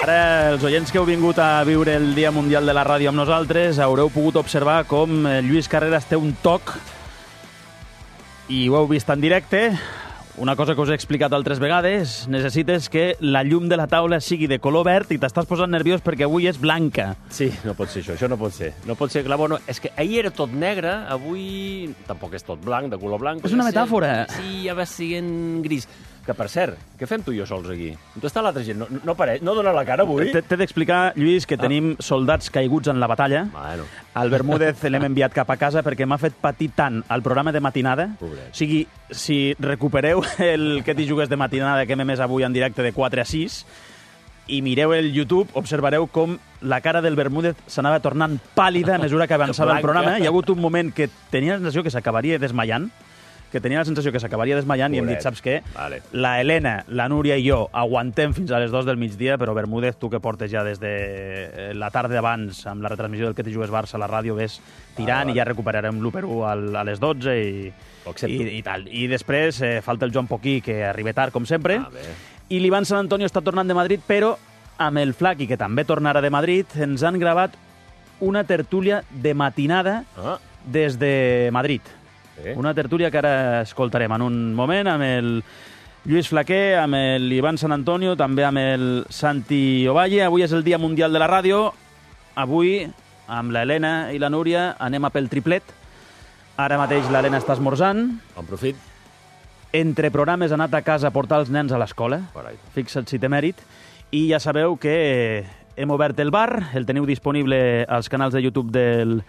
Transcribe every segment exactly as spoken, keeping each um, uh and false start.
Ara, els oients que heu vingut a viure el Dia Mundial de la Ràdio amb nosaltres haureu pogut observar com Lluís Carreras té un toc i ho heu vist en directe. Una cosa que us he explicat altres vegades, necessites que la llum de la taula sigui de color verd i t'estàs posant nerviós perquè avui és blanca. Sí, no pot ser això, això no pot ser. No pot ser, clar, bueno, és que ahir era tot negre, avui tampoc és tot blanc, de color blanc. És una metàfora. Sí, ja va sent gris. Que, per cert, què fem tu i jo sols aquí? On està l'altra gent? No, no, apareix, no dona la cara avui? T'he d'explicar, Lluís, que Ah. tenim soldats caiguts en la batalla. Bueno. El Bermúdez l'hem enviat cap a casa perquè m'ha fet patir tant el programa de matinada. Pobret. O sigui, si recupereu el que t'hi jugues de matinada que hem emès avui en directe de quatre a sis i mireu el YouTube, observareu com la cara del Bermúdez s'anava tornant pàl·lida a mesura que avançava el programa. Hi ha hagut un moment que tenia la sensació que s'acabaria desmaiant, que tenia la sensació que s'acabaria desmaiant i hem dit, saps què? Vale. La Helena, la Núria i jo aguantem fins a les dues del migdia, però Bermúdez, tu que portes ja des de la tarda abans amb la retransmissió del Que t'hi jugues Barça a la ràdio, ves tirant vale, vale. i ja recuperarem l'u per u a les dotze i, i, i tal. I després eh, falta el Joan Poquí, que arriba tard, com sempre, Ah, bé. i l'Ivan Sant Antonio està tornant de Madrid, però amb el Flaqui, que també tornarà de Madrid, ens han gravat una tertúlia de matinada Ah. des de Madrid. Bé. Una tertúlia que ara escoltarem en un moment amb el Lluís Flaquer, amb l'Ivan Sant Antonio, també amb el Santi Ovalle. Avui és el Dia Mundial de la Ràdio. Avui, amb l'Helena i la Núria, anem a pel triplet. Ara mateix l'Helena està esmorzant. Bon profit. Entre programes ha anat a casa a portar els nens a l'escola. Carai. Fixa't si té mèrit. I ja sabeu que hem obert el bar. El teniu disponible als canals de YouTube del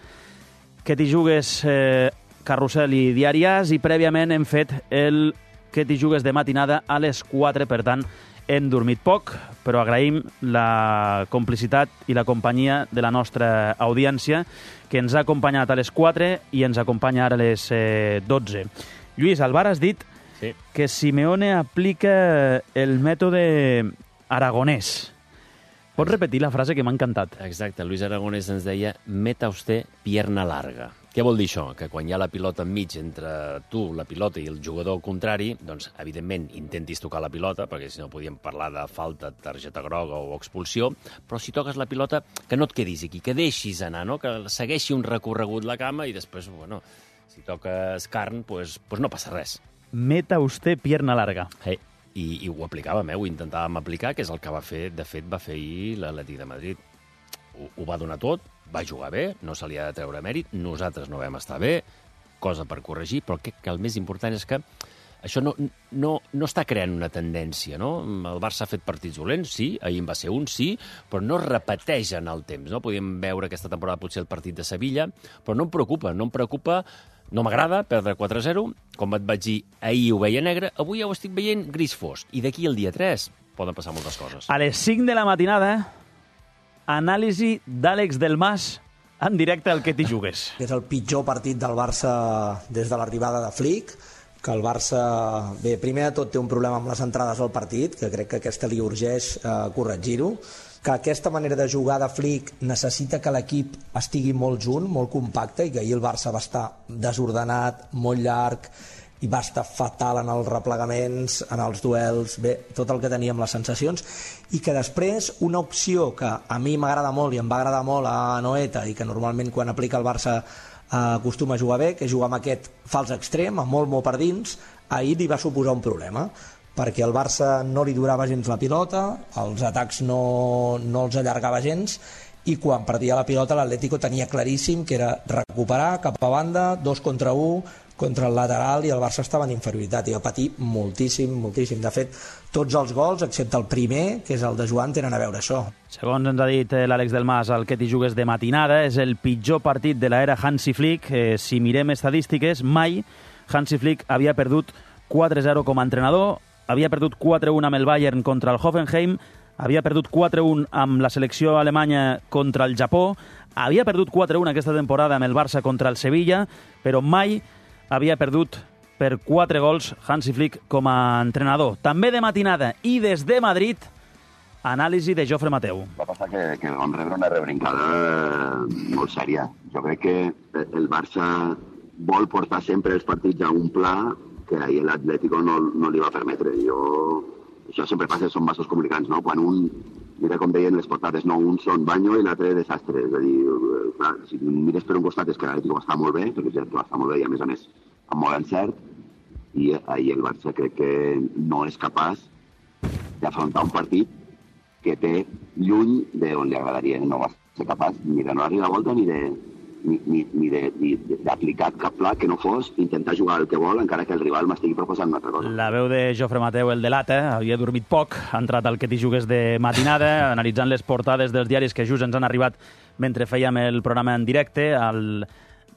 Que t'hi jugues eh, Carrusel i Diari As, i prèviament hem fet el Que t'hi jugues de matinada a les quatre, per tant, hem dormit poc, però agraïm la complicitat i la companyia de la nostra audiència, que ens ha acompanyat a les quatre i ens acompanya ara a les eh, dotze. Lluís, al bar has dit Sí. que Simeone aplica el mètode aragonès. Pots repetir la frase que m'ha encantat? Exacte, Luis Aragonès ens deia meta usted pierna larga. Què vol dir això? Que quan hi ha la pilota enmig entre tu, la pilota, i el jugador contrari, doncs, evidentment, intentis tocar la pilota, perquè si no podíem parlar de falta, targeta groga o expulsió, però si toques la pilota, que no et quedis aquí, que deixis anar, no? Que segueixi un recorregut la cama i després, bueno, si toques carn, doncs, doncs no passa res. Meta usted pierna larga. Hey. I, i ho aplicàvem, eh? Ho intentàvem aplicar, que és el que va fer, de fet, va fer ahir l'Atlètic de Madrid. Ho, ho va donar tot, va jugar bé, no se li ha de treure mèrit, nosaltres no vam estar bé, cosa per corregir, però crec que el més important és que això no, no, no està creant una tendència, no? El Barça ha fet partits dolents, sí, ahir en va ser un, sí, però no es repeteix en el temps, no? Podíem veure aquesta temporada potser el partit de Sevilla, però no em preocupa, no em preocupa. No m'agrada perdre quatre a zero, com et vaig dir, ahir ho veia negre, avui ja ho estic veient gris fosc. I d'aquí al dia tres poden passar moltes coses. A les cinc de la matinada, anàlisi d'Àlex Del Mas en directe al Que t'hi jugues. És el pitjor partit del Barça des de l'arribada de Flick, que el Barça, bé, primer de tot té un problema amb les entrades al partit, que crec que aquesta li urgeix eh, corregir-ho, que aquesta manera de jugar de Flick necessita que l'equip estigui molt junt, molt compacte, i que ahir el Barça va estar desordenat, molt llarg, i va estar fatal en els replegaments, en els duels, bé, tot el que teníem les sensacions, i que després una opció que a mi m'agrada molt i em va agradar molt a Noeta, i que normalment quan aplica el Barça acostuma a jugar bé, que és jugar amb aquest fals extrem, amb molt, molt per dins, ahir li va suposar un problema, perquè el Barça no li durava gens la pilota, els atacs no, no els allargava gens, i quan perdia la pilota l'Atlético tenia claríssim que era recuperar cap a banda, dos contra un, contra el lateral, i el Barça estava en inferioritat i va patir moltíssim, moltíssim. De fet, tots els gols, excepte el primer, que és el de Joan, tenen a veure això. Segons ens ha dit l'Àlex Del Mas, el Que t'hi jugues de matinada és el pitjor partit de l'era Hansi Flick. Eh, si mirem estadístiques, mai Hansi Flick havia perdut quatre a zero com a entrenador, havia perdut quatre a un amb el Bayern contra el Hoffenheim, havia perdut quatre a un amb la selecció alemanya contra el Japó, havia perdut quatre a un aquesta temporada amb el Barça contra el Sevilla, però mai havia perdut per quatre gols Hansi Flick com a entrenador. També de matinada i des de Madrid, anàlisi de Jofre Mateu. Va passar que, que vam rebre una rebrincada molt sèria. Jo crec que el Barça vol portar sempre els partits a un pla que ahir l'Atlético no, no li va permetre. Jo, això sempre passa, són vasos comunicants, no? Quan un mira com deien les portades, no, un són banyo i l'altre desastre. És a dir, clar, si mires per un costat és que l'Atlético va estar molt bé, perquè és que va estar molt bé i a més a més amb molt encert, i ahir el Barça crec que no és capaç d'afrontar un partit que té lluny d'on li agradaria. No va ser capaç ni de no arribar a volta ni de ni, ni, ni d'aplicar cap pla que no fos intentar jugar el que vol encara que el rival m'estigui proposant una altra cosa. La veu de Jofre Mateu, el de l'Ata, havia dormit poc, ha entrat al que t'hi jugues de matinada, analitzant les portades dels diaris que just ens han arribat mentre fèiem el programa en directe, al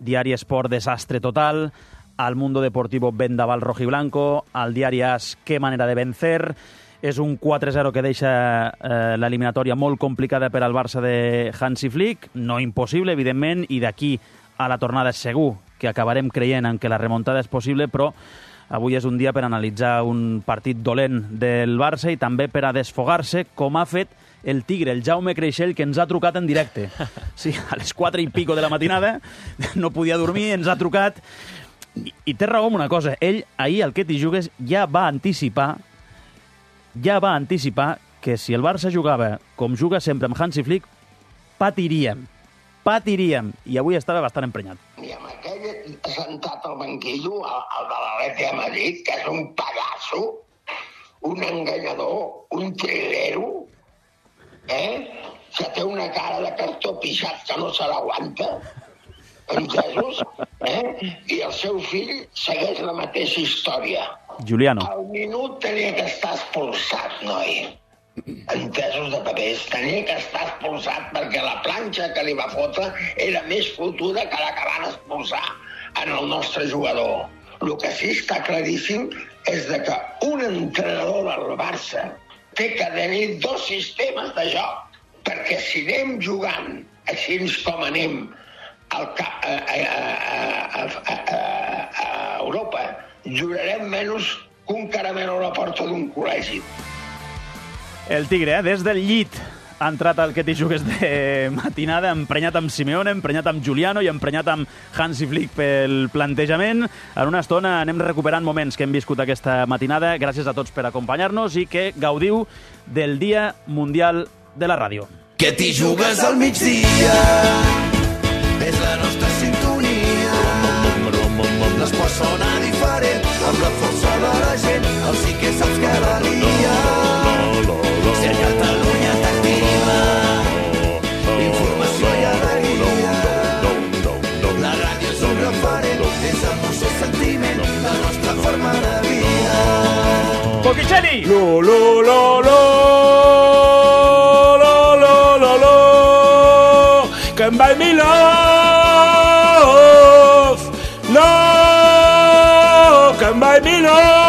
diari Esport Desastre Total, al Mundo Deportivo Vendaval Rojiblanco, al diari As Qué manera de vencer. És un quatre zero que deixa eh, l'eliminatòria molt complicada per al Barça de Hansi Flick, no impossible, evidentment, i d'aquí a la tornada segur que acabarem creient en que la remuntada és possible, però avui és un dia per analitzar un partit dolent del Barça i també per a desfogar-se, com ha fet el Tigre, el Jaume Creixell, que ens ha trucat en directe. Sí, a les quatre i pico de la matinada, no podia dormir, ens ha trucat. I, i té raó en una cosa, ell ahir al que t'hi jugues ja va anticipar ja va anticipar que si el Barça jugava com juga sempre amb Hansi Flick, patiríem, patiríem, i avui estava bastant emprenyat. I amb aquell sentat al banquillo, el, el de l'Atleti de Madrid, que és un pallasso, un enganyador, un trilero, eh? que té una cara de cartó pixat que no se l'aguanta, entesos? Eh? I el seu fill segueix la mateixa història. Giuliano. Al minut tenia que estar expulsat, noi. Entesos de papers. Tenia que estar expulsat perquè la planxa que li va fotre era més fotuda que la que van expulsar en el nostre jugador. El que sí està claríssim és de que un entrenador del Barça té que tenir dos sistemes de joc, perquè si anem jugant així com anem al ca- a, a, a, a, a, a Europa, jurarem menys que un caramel a la porta d'un col·legi. El Tigre, eh? Des del llit ha entrat al que t'hi jugues de matinada, emprenyat amb Simeone, emprenyat amb Giuliano i emprenyat amb Hansi Flick pel plantejament. En una estona anem recuperant moments que hem viscut aquesta matinada. Gràcies a tots per acompanyar-nos i que gaudiu del Dia Mundial de la Ràdio. Que t'hi jugues al migdia, és la nostra sintonia. L'esport sona diferent, amb la força de la gent, el sí que saps cada dia. Si a Catalunya t'activa, informació i alegria. La ràdio és un referent, és emoció i sentiment, la nostra forma de vida. Poquicelli! Lo, lo, lo, lo, lo, lo, lo, lo, can buy me love, no, can buy me love.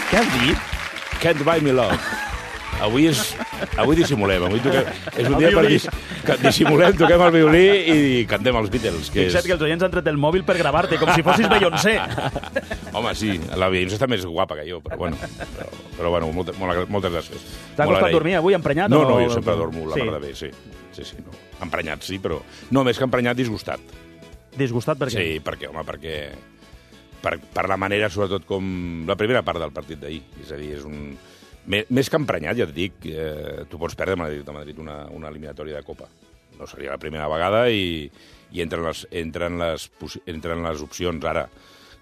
Què has dit? Can't buy me love. Avui és... Avui dissimulem. Avui toquem... És un dia per dis... que dissimulem, toquem el violí i cantem els Beatles. Que Fixa't és... que els oients han tret el mòbil per gravar-te, com si fossis Beyoncé. Home, sí, la Beyoncé està més guapa que jo, però bueno, però, però bueno molt, molt, moltes gràcies. T'ha Molt costat agraït. dormir avui emprenyat? No, o... no, jo sempre dormo la sí. mar de bé, sí. Sí, sí, no. Emprenyat, sí, però... No, més que emprenyat, disgustat. Disgustat per què? Sí, perquè, home, perquè... Per, per la manera, sobretot, com... La primera part del partit d'ahir. És a dir, és un... Més, més que emprenyat, ja et dic, eh, tu pots perdre a Madrid, a Madrid una, una eliminatòria de Copa. No seria la primera vegada i, i entren, les, entren, les, entren les opcions ara.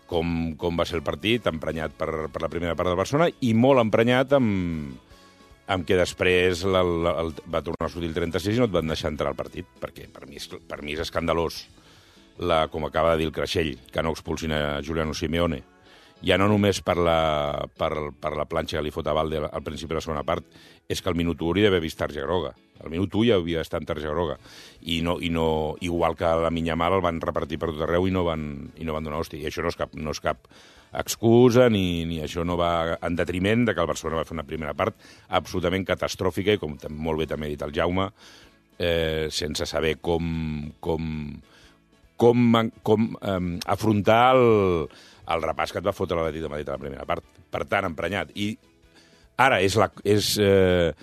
Com, com va ser el partit, emprenyat per, per la primera part del Barcelona i molt emprenyat amb, amb que després la, la, el, va tornar a sortir el trenta-sis i no et van deixar entrar al partit, perquè per mi és, per mi és escandalós, la, com acaba de dir el Creixell, que no expulsin a Giuliano Simeone. Ja no només per la, per, per la planxa que li fot a Valde al principi de la segona part, és que al minut u hauria d'haver vist targeta groga. Al minut u ja havia d'estar en targeta groga. I no, i no, igual que la Minyamal el van repartir per tot arreu i no van, i no van donar hòstia. I això no és cap, no és cap excusa, ni, ni això no va en detriment de que el Barcelona va fer una primera part absolutament catastròfica i, com molt bé també ha dit el Jaume, eh, sense saber com, com, com, com eh, afrontar el, el repàs que et va fotre l'Atlètic de Madrid a la primera part. Per tant, emprenyat. I ara és la, és, eh,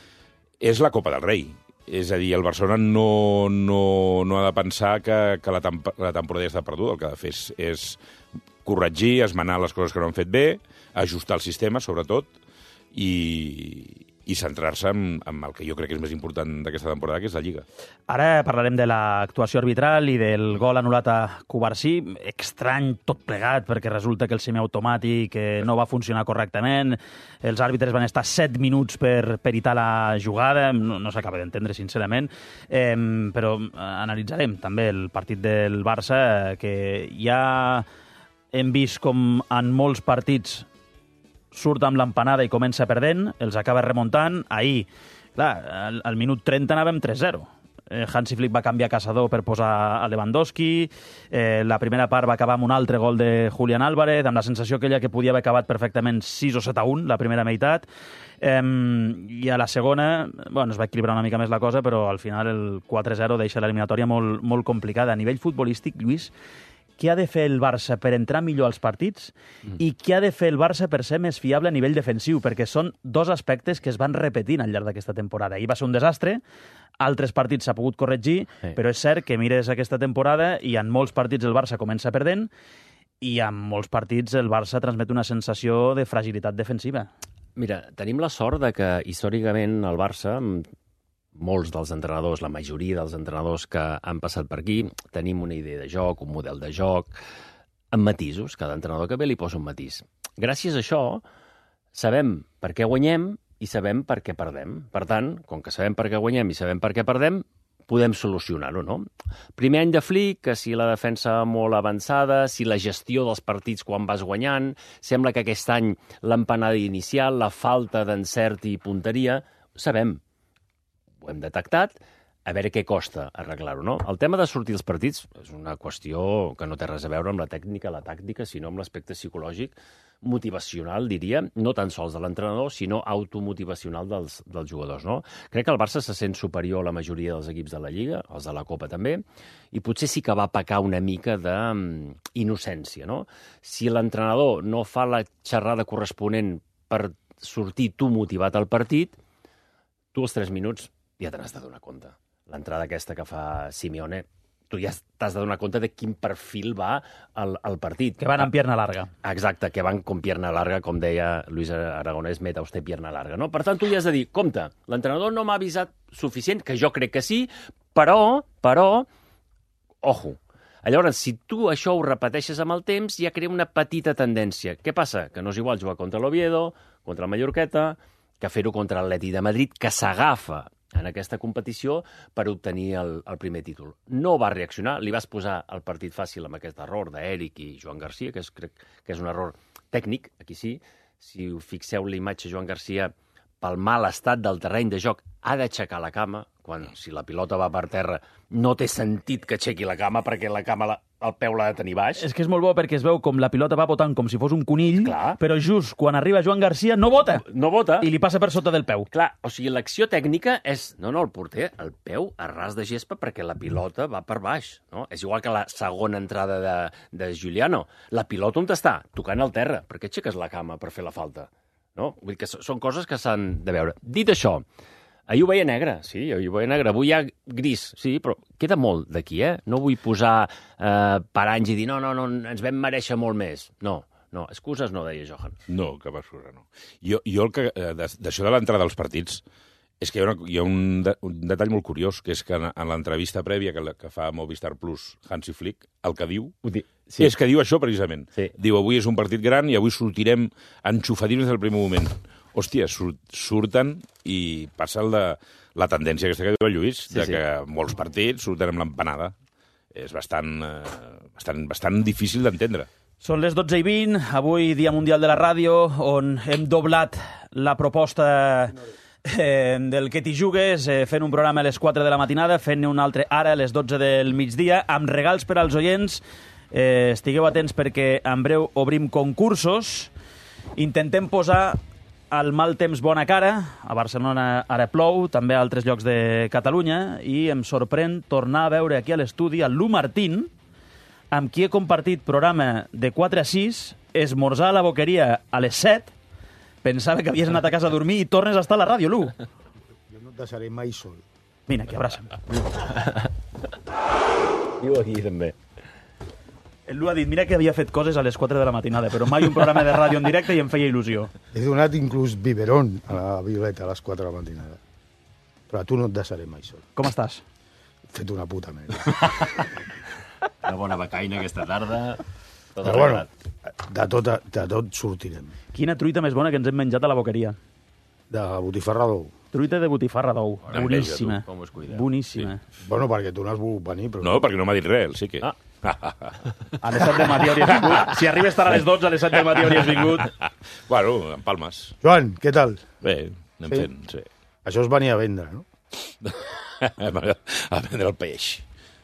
és la Copa del Rei. És a dir, el Barcelona no, no, no ha de pensar que, que la, temp la temporada ja està perduda. El que ha de fer és, és corregir, esmenar les coses que no han fet bé, ajustar el sistema, sobretot, i, i centrar-se en, en el que jo crec que és més important d'aquesta temporada, que és la Lliga. Ara parlarem de l'actuació arbitral i del gol anul·lat a Cubarsí. Estrany tot plegat, perquè resulta que el semiautomàtic no va funcionar correctament. Els àrbitres van estar set minuts per peritar la jugada. No, no s'acaba d'entendre, sincerament. Eh, però analitzarem també el partit del Barça, que ja hem vist com en molts partits surt amb l'empanada i comença perdent, els acaba remuntant. Ahir, clar, al, al minut trenta anàvem tres zero. Eh, Hansi Flick va canviar Caçador per posar a Lewandowski. Eh, la primera part va acabar amb un altre gol de Julián Álvarez, amb la sensació aquella que podia haver acabat perfectament sis o set a un, la primera meitat. Eh, I a la segona, bueno, es va equilibrar una mica més la cosa, però al final el quatre zero deixa l'eliminatòria molt, molt complicada. A nivell futbolístic, Lluís, què ha de fer el Barça per entrar millor als partits mm. i què ha de fer el Barça per ser més fiable a nivell defensiu? Perquè són dos aspectes que es van repetint al llarg d'aquesta temporada. Ahir va ser un desastre, altres partits s'ha pogut corregir, sí. Però és cert que mires aquesta temporada i en molts partits el Barça comença perdent i en molts partits el Barça transmet una sensació de fragilitat defensiva. Mira, tenim la sort de que històricament el Barça, molts dels entrenadors, la majoria dels entrenadors que han passat per aquí, tenim una idea de joc, un model de joc, amb matisos. Cada entrenador que ve li posa un matís. Gràcies a això, sabem per què guanyem i sabem per què perdem. Per tant, com que sabem per què guanyem i sabem per què perdem, podem solucionar-ho, no? Primer any de Flick, que si la defensa molt avançada, si la gestió dels partits quan vas guanyant, sembla que aquest any l'empanada inicial, la falta d'encert i punteria, sabem. Ho hem detectat, a veure què costa arreglar-ho, no? El tema de sortir els partits és una qüestió que no té res a veure amb la tècnica, la tàctica, sinó amb l'aspecte psicològic, motivacional, diria, no tan sols de l'entrenador, sinó automotivacional dels, dels jugadors, no? Crec que el Barça se sent superior a la majoria dels equips de la Lliga, els de la Copa també, i potser sí que va pecar una mica d'innocència, no? Si l'entrenador no fa la xerrada corresponent per sortir tu motivat al partit, tu als tres minuts ja te n'has de donar compte. L'entrada aquesta que fa Simeone, tu ja t'has de donar compte de quin perfil va al, al partit. Que van amb pierna larga. Exacte, que van com pierna larga, com deia Luis Aragonès, meta usted pierna larga, no? Per tant, tu ja has de dir, compte, l'entrenador no m'ha avisat suficient, que jo crec que sí, però, però, ojo. Llavors, si tu això ho repeteixes amb el temps, ja crea una petita tendència. Què passa? Que no és igual jugar contra l'Oviedo, contra el Mallorqueta, que fer-ho contra l'Atlètic de Madrid, que s'agafa en aquesta competició per obtenir el, el primer títol. No va reaccionar, li vas posar el partit fàcil amb aquest error d'Eric i Joan Garcia, que és, crec que és un error tècnic, aquí sí. Si us fixeu l'imatge, Joan Garcia, pel mal estat del terreny de joc, ha d'aixecar la cama, quan si la pilota va per terra no té sentit que aixequi la cama, perquè la cama, la, el peu l'ha de tenir baix. És que és molt bo perquè es veu com la pilota va botant com si fos un conill, clar, però just quan arriba Joan Garcia no bota. No bota. I li passa per sota del peu. Clar, o sigui, l'acció tècnica és, no, no, el porter, el peu a ras de gespa perquè la pilota va per baix, no? És igual que la segona entrada de, de Giuliano. La pilota on està? Tocant al terra. Per què aixeques la cama per fer la falta? No? Vull dir que són coses que s'han de veure. Dit això, ahir ho veia negre, sí, ahir ho veia negre. Avui hi ha gris, sí, però queda molt d'aquí, eh? No vull posar eh, paranys i dir no, no, no, ens vam mereixer molt més. No, no, excuses no, deia Johan. No, cap excusa, no. Jo, jo el que, d'això de l'entrada als partits, és que hi ha, una, hi ha un, de, un detall molt curiós, que és que en, en l'entrevista prèvia que, que fa Movistar Plus Hansi Flick, el que diu, di sí. és que diu això precisament. Sí. Diu, avui és un partit gran i avui sortirem enxufadins des del primer moment. Hòstia, surt, surten i passa el de, la tendència aquesta que diu el Lluís, sí, de sí. que molts partits surten amb l'empanada. És bastant, eh, bastant, bastant difícil d'entendre. Són les dotze i vint, avui Dia Mundial de la Ràdio, on hem doblat la proposta eh, del que t'hi jugues, eh, fent un programa a les quatre de la matinada, fent un altre ara a les dotze del migdia, amb regals per als oients. Eh, estigueu atents perquè en breu obrim concursos. Intentem posar el mal temps bona cara. A Barcelona ara plou, també a altres llocs de Catalunya, i em sorprèn tornar a veure aquí a l'estudi el Lu Martín, amb qui he compartit programa de quatre a sis, esmorzar a la Boqueria a les set. Pensava que havies anat a casa a dormir i tornes a estar a la ràdio, Lu. Jo no et deixaré mai sol. Vine aquí, abraça'm. Diu aquí, també. Ell ha dit, mira que havia fet coses a les quatre de la matinada, però mai un programa de ràdio en directe i em feia il·lusió. He donat inclús biberón a la Violeta a les quatre de la matinada. Però a tu no et deixaré mai sol. Com estàs? He fet una puta merda. Una bona becaina aquesta tarda. Tot Però bueno, arreglat. de tot, de tot sortirem. Quina truita més bona que ens hem menjat a la boqueria. De botifarra d'ou. Truita de botifarra d'ou. Bona Boníssima. enveja, tu, com us cuida. Boníssima. Bueno, perquè tu no has volgut venir, però... No, perquè no m'ha dit res, sí que... Ah. A les set del matí hauries vingut. Si arribes tard a les dotze, a les set del matí hauries vingut. Bueno, en palmes. Joan, què tal? Bé, anem Sí? fent, sí. Això es venia a vendre, no? A vendre el peix.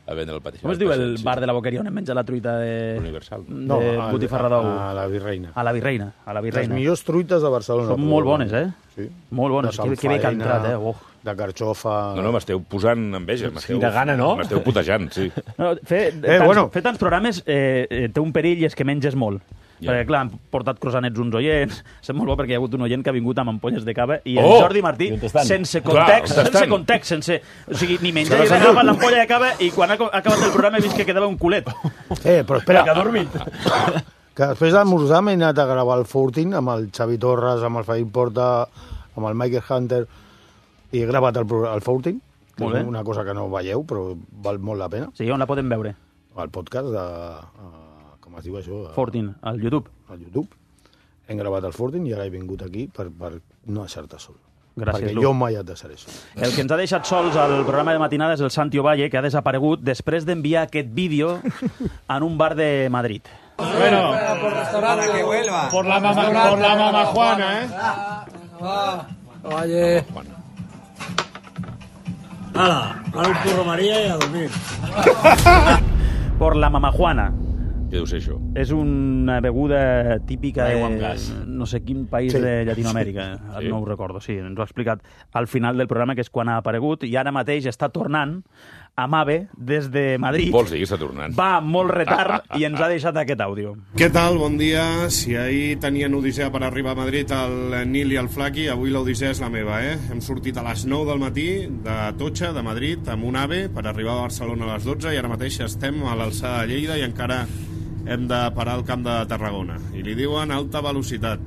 A vendre el peix. Com es diu el bar de la boqueria on hem menjat la truita de, Universal. de a- botifarra d'ou? A la Virreina. A la Virreina. A la Les Virreina. millors truites de Barcelona. Són molt bones, eh? Sí. Molt bones. De Que, que bé que ha samfaina, entrat, eh? Oh. De carxofa... No, no, m'esteu posant enveja. Sí, de gana, no? M'esteu putejant, sí. No, fer, Eh, tants, bueno. fer tants programes eh, eh, té un perill i és que menges molt. Ja. Perquè, clar, han portat croissanets uns oients. Sap molt bo perquè hi ha hagut un oient que ha vingut amb ampolles de cava i el Oh! Jordi Martí, I on estan? sense Clar, context, on sense estan? context, sense... O sigui, ni menja Se ni les ha res, agafa dut. l'ampolla de cava i quan ha co- ha acabat el programa he vist que quedava un culet. Eh, però espera, Que ha dormit. que després d'esmorzar m'he anat a gravar el Fortin amb el Xavi Torres, amb el Fabián Porta, amb el Michael Hunter, i he gravat el, pro- el Fortin, que Molt bé. és una cosa que no veieu, però val molt la pena. Sí, on la podem veure? El podcast de... Uh, com es diu això? A- Fortin, al YouTube. Al YouTube. Hem gravat el Fortin i ara he vingut aquí per, per no deixar-te sol. Gràcies, Perquè Lu. jo mai et deixaré sol. El que ens ha deixat sols al programa de matinada és el Santi Ovalle, que ha desaparegut després d'enviar aquest vídeo en un bar de Madrid. Bueno, por la mamá, por la mamá Juana, ¿eh? Oye. Hala, ahora un curro María y a dormir. Por la mamajuana. Què deu ser això? És una beguda típica Aigua amb de gas. no sé quin país Sí. de Llatinoamèrica. Sí. No ho recordo, sí, ens ho ha explicat al final del programa, que és quan ha aparegut, i ara mateix està tornant amb AVE des de Madrid. Vols dir que està tornant? Va amb molt retard i ens ha deixat aquest àudio. Què tal? Bon dia. Si ahir tenien odissea per arribar a Madrid el Nil i el Flaqui, avui l'odissea és la meva, eh? Hem sortit a les nou del matí de Totxa, de Madrid, amb un AVE per arribar a Barcelona a les dotze i ara mateix estem a l'alçada de Lleida i encara hem de parar al camp de Tarragona. I li diuen alta velocitat.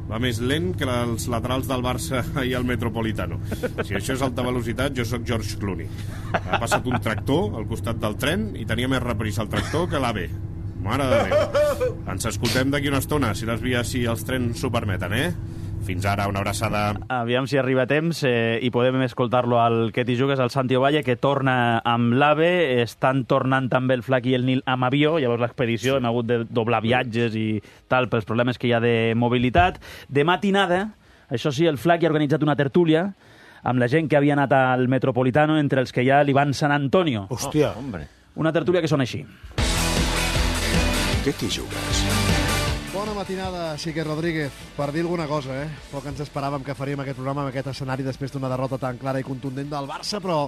Va més lent que els laterals del Barça i el Metropolitano. Si això és alta velocitat, jo sóc George Clooney. Ha passat un tractor al costat del tren i tenia més reprisa el tractor que l'AVE. Mare de Déu. Ens escoltem d'aquí una estona, si les vies, si els trens s'ho permeten, eh? Fins ara, una abraçada. Aviam si arriba a temps eh, i podem escoltar-lo al que t'hi jugues, al Santi Ovalle, que torna amb l'AVE, estan tornant també el Flac i el Nil amb avió, llavors l'expedició, hem hagut de doblar viatges i tal, pels problemes que hi ha de mobilitat. De matinada, això sí, el Flac ha organitzat una tertúlia amb la gent que havia anat al Metropolitano, entre els que hi ha l'Ivan San Antonio. Hòstia. Oh, hombre. Una tertúlia que sona així. Què t'hi jugues? Bona matinada, Sique Rodríguez. Per dir alguna cosa, eh? Poc ens esperàvem que faríem aquest programa amb aquest escenari després d'una derrota tan clara i contundent del Barça, però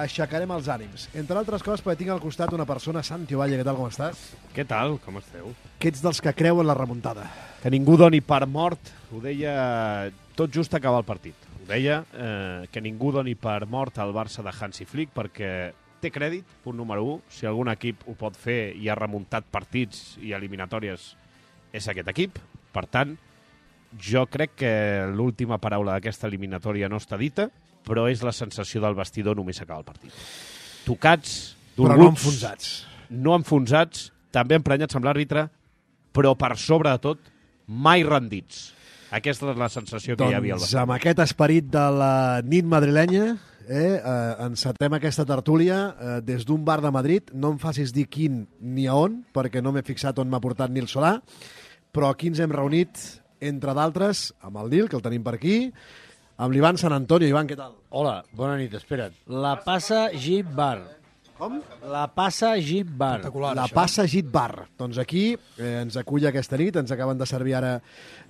aixecarem els ànims. Entre altres coses, perquè tinc al costat una persona, Santi Ovalle, què tal, com estàs? Què tal? Com esteu? Que ets dels que creuen la remuntada. Que ningú doni per mort, ho deia tot just acabar el partit. Ho deia eh, que ningú doni per mort al Barça de Hansi Flick perquè té crèdit, punt número u. Si algun equip ho pot fer i ha remuntat partits i eliminatòries és aquest equip. Per tant, jo crec que l'última paraula d'aquesta eliminatòria no està dita, però és la sensació del vestidor només acaba el partit. Tocats, Però dolguts, no enfonsats. no enfonsats, també emprenyats amb l'àrbitre, però per sobre de tot, mai rendits. Aquesta és la sensació que hi havia al Doncs vestidor. amb aquest esperit de la nit madrilenya, eh, eh, encetem aquesta tertúlia eh, des d'un bar de Madrid. No em facis dir quin ni a on, perquè no m'he fixat on m'ha portat Nil Solà, però aquí ens hem reunit, entre d'altres, amb el Nil, que el tenim per aquí, amb l'Ivan San Antonio. Ivan, què tal? Hola, bona nit, espera't. La Passa Jeep Bar. Com? La Passa Jeep Bar. La Passa Git Bar. Doncs aquí eh, ens acull aquesta nit, ens acaben de servir ara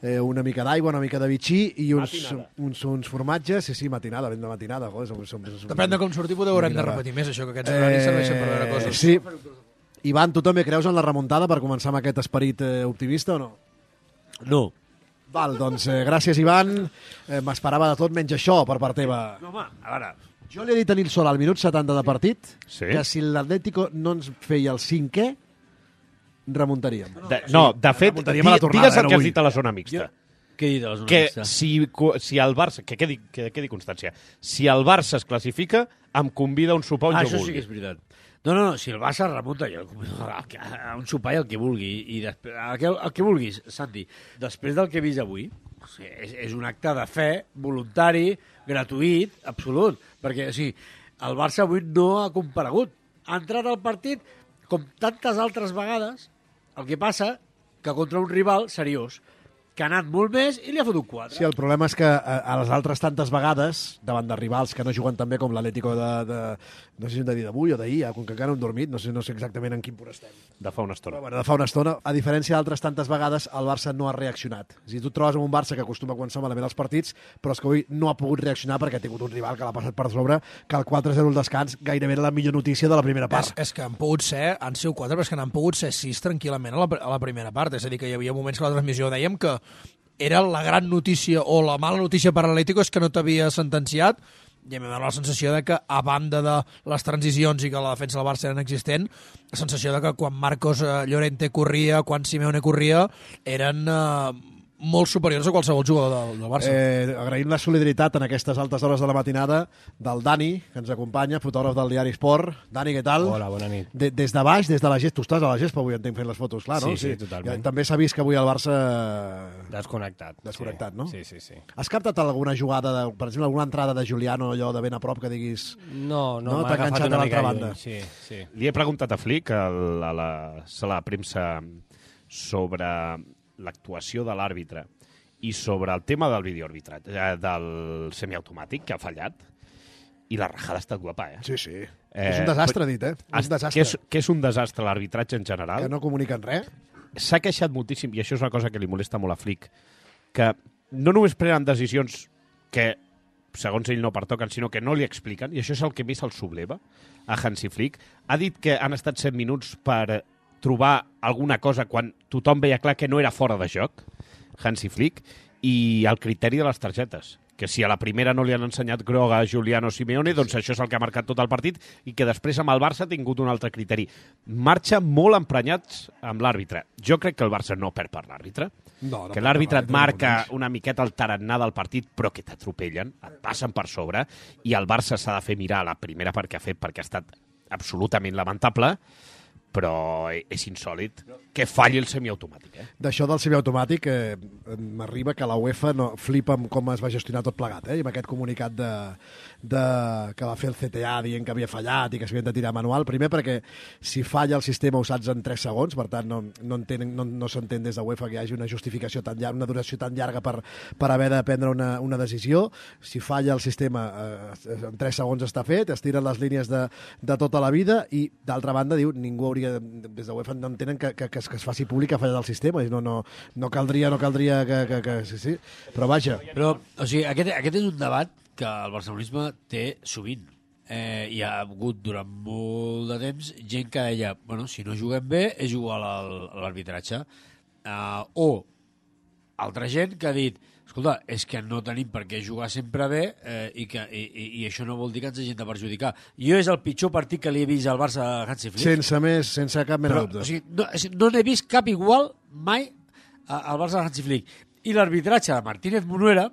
eh, una mica d'aigua, una mica de bitxí i uns, uns, uns formatges. Sí, sí, matinada, ben de matinada. Joder, som, som, som, Depèn de com sortir, potser haurem de repetir més, això, que aquests horaris serveixen per veure coses. Sí. Ivan, tu també creus en la remuntada per començar amb aquest esperit eh, optimista o no? No. Val, doncs eh, gràcies, Ivan. Eh, M'esperava de tot menys això per part teva. No, home, a veure, Jo li he dit a Nil Solà al minut setanta de partit Sí. que si l'Atlético no ens feia el cinquè, remuntaríem. De, no, de fet, remuntaríem a la di- tornada, digues el eh, que no has vull. dit a la zona mixta. Què he dit a la zona Que mixta? si, co- si el Barça... Que quedi, que quedi constància. Si el Barça es classifica, em convida a un sopar on Ah, jo això vulgui. sí que és veritat. No, no, no, si el Barça remunta, jo a un sopar i el que vulgui. I després, el, que, el que vulguis, Santi. Després del que he vist avui, o sigui, és, és un acte de fe, voluntari, gratuït, absolut. Perquè, o sigui, el Barça avui no ha comparegut. Ha entrat al partit, com tantes altres vegades, el que passa que contra un rival seriós, que ha anat molt més i li ha fotut quatre. Sí, el problema és que a, a les altres tantes vegades, davant de rivals que no juguen tan bé com l'Atlético de, de... No sé si hem de dir d'avui o d'ahir, com que encara no hem dormit, no sé, no sé exactament en quin punt estem. De fa una estona. Però, bueno, de fa una estona, a diferència d'altres tantes vegades, el Barça no ha reaccionat. És a dir, tu et trobes amb un Barça que acostuma a començar malament els partits, però és que avui no ha pogut reaccionar perquè ha tingut un rival que l'ha passat per sobre, que el quatre zero al descans gairebé era la millor notícia de la primera És, part. és que han pogut ser, han sigut quatre, però és que n'han pogut ser sis tranquil·lament a la, a la primera part. És a dir, que hi havia moments que a la transmissió dèiem que era la gran notícia o la mala notícia per a l'Atlético és que no t'havia sentenciat, i a mi m'ha donat la sensació de que, a banda de les transicions i que la defensa del Barça era inexistent, la sensació de que quan Marcos eh, Llorente corria, quan Simeone corria, eren eh, molt superiors a qualsevol jugador del, del Barça. Eh, agraïm la solidaritat en aquestes altes hores de la matinada del Dani, que ens acompanya, fotògraf del diari Esport. Dani, què tal? Hola, bona nit. De, des de baix, des de la gespa. Tu estàs a la gespa avui, entenc, fent les fotos, clar, no? Sí, sí, totalment. Ja, també s'ha vist que avui el Barça... Desconnectat. Desconnectat, sí. no? Sí, sí, sí. Has captat alguna jugada, de, per exemple, alguna entrada de Juliano, allò de ben a prop, que diguis... No, no, no m'ha t'ha agafat enganxat una a l'altra mica banda. lluny, sí, sí. Li he preguntat a Flick a la, a la sala de premsa sobre l'actuació de l'àrbitre i sobre el tema del videoarbitrat, eh, del semiautomàtic, que ha fallat, i la rajada ha estat guapa, eh? Sí, sí. Eh, és un desastre, dit, eh? És un desastre. Que és, que és un desastre l'arbitratge en general. Que no comuniquen res. S'ha queixat moltíssim, i això és una cosa que li molesta molt a Flick, que no només prenen decisions que, segons ell, no pertoquen, sinó que no li expliquen, i això és el que més el subleva a Hansi Flick. Ha dit que han estat set minuts per trobar alguna cosa quan tothom veia clar que no era fora de joc, Hansi Flick, i el criteri de les targetes, que si a la primera no li han ensenyat groga a Giuliano Simeone, doncs això és el que ha marcat tot el partit, i que després amb el Barça ha tingut un altre criteri. Marxa molt emprenyats amb l'àrbitre. Jo crec que el Barça no perd per l'àrbitre, No, no que perd l'àrbitre per et marca una miqueta el tarannà del partit, però que t'atropellen, et passen per sobre, i el Barça s'ha de fer mirar la primera part que ha fet, perquè ha estat absolutament lamentable, però és insòlid que falli el semiautomàtic. Eh? D'això del semiautomàtic, eh, m'arriba que la UEFA no, flipa amb com es va gestionar tot plegat, eh? I amb aquest comunicat de, de, que va fer el C T A dient que havia fallat i que s'havien de tirar manual. Primer perquè si falla el sistema ho saps en tres segons, per tant no, no, entenen, no, no s'entén des de UEFA que hi hagi una justificació tan llarga, una duració tan llarga per, per haver de prendre una, una decisió. Si falla el sistema eh, en tres segons està fet, es tiren les línies de, de tota la vida i d'altra banda diu ningú hauria, des de UEFA no entenen que, que, que, es, que es faci públic que ha fallat el sistema, no, no, no caldria, no caldria que, que, que sí, sí, però vaja. Però, o sigui, aquest, aquest és un debat que el barcelonisme té sovint. Eh, hi ha hagut durant molt de temps gent que deia, bueno, si no juguem bé és igual a l'arbitratge. Uh, o altra gent que ha dit, escolta, és que no tenim per què jugar sempre bé eh, i, que, i, i, i això no vol dir que ens hagin de perjudicar. Jo és el pitjor partit que li he vist al Barça a Hansi Flick. Sense més, sense cap mena de dubte. O sigui, no, no n'he vist cap igual mai al Barça de Hansi Flick. I l'arbitratge de Martínez Munuera,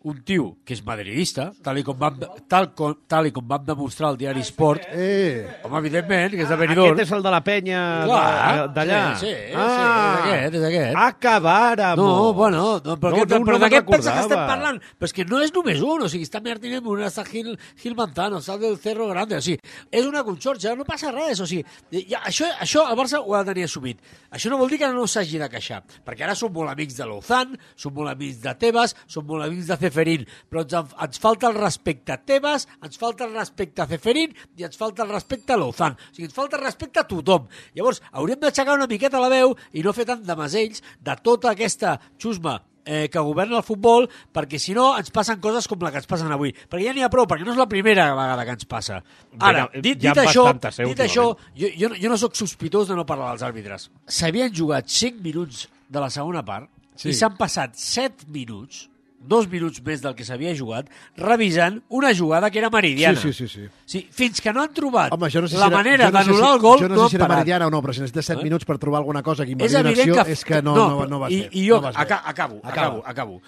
un tio que és madridista, tal i com vam, tal com, tal i com vam demostrar al diari Sport, eh. home, evidentment, que és de Benidorm. Aquest és el de la penya d'allà. Sí, sí, ah, sí, és aquest, és aquest. Acabàrem. No, bueno, no, però, no, no, no, però no de què pensa que recordava. estem parlant? Però és que no és només un, o sigui, està Martínez Munuera, està Gil, Gil Manzano, està del Cerro Grande, o sigui, és una conxorxa, no passa res, o sigui, ja, això, això el Barça ho ha de tenir assumit. Això no vol dir que no s'hagi de queixar, perquè ara som molt amics de Lozán, som molt amics de Tebas, som molt amics de Ceferín, però ens, ens falta el respecte a Tebas, ens falta el respecte a Ceferín i ens falta el respecte a Lozán. O sigui, ens falta el respecte a tothom. Llavors, hauríem d'aixecar una miqueta la veu i no fer tant de masells de tota aquesta xusma eh, que governa el futbol, perquè si no ens passen coses com la que ens passen avui. Perquè ja n'hi ha prou, perquè no és la primera vegada que ens passa. Ara, dit, dit això, dit això jo, jo, jo no sóc sospitós de no parlar dels àrbitres. S'havien jugat cinc minuts de la segona part sí. i s'han passat set minuts dos minuts més del que s'havia jugat, revisant una jugada que era meridiana. Sí, sí, sí. sí. sí fins que no han trobat Home, no sé la si era, manera no d'anul·lar si, el gol, jo no, no sé han si era parat. meridiana o no, però si necessites set eh? minuts per trobar alguna cosa que És invalidi una acció, que... és que no, no, no, no va I, ser. I jo, no aca acabo, acabo, acabo.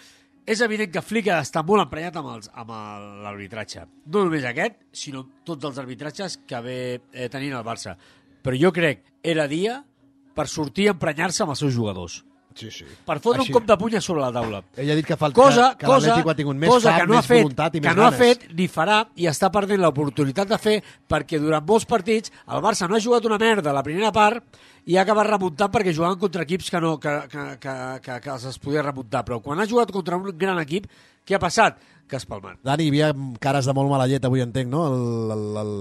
És evident que Flick està molt emprenyat amb, els, amb l'arbitratge. No només aquest, sinó tots els arbitratges que ve eh, tenint el Barça. Però jo crec era dia per sortir a emprenyar-se amb els seus jugadors. Sí, sí. Per fotre Així. un cop de puny a sobre la taula. Ell ha dit que, falta, cosa, que, que l'Atlètic ho ha tingut més cosa fam, que no més ha fet, voluntat i que més no ha ganes. fet ni farà i està perdent l'oportunitat de fer perquè durant molts partits el Barça no ha jugat una merda a la primera part i ha acabat remuntant perquè jugaven contra equips que, no, que, que, que, que, que els podia remuntar. Però quan ha jugat contra un gran equip, què ha passat? Que es palmat. Dani, hi havia cares de molt mala llet avui, entenc, no? El, el, el...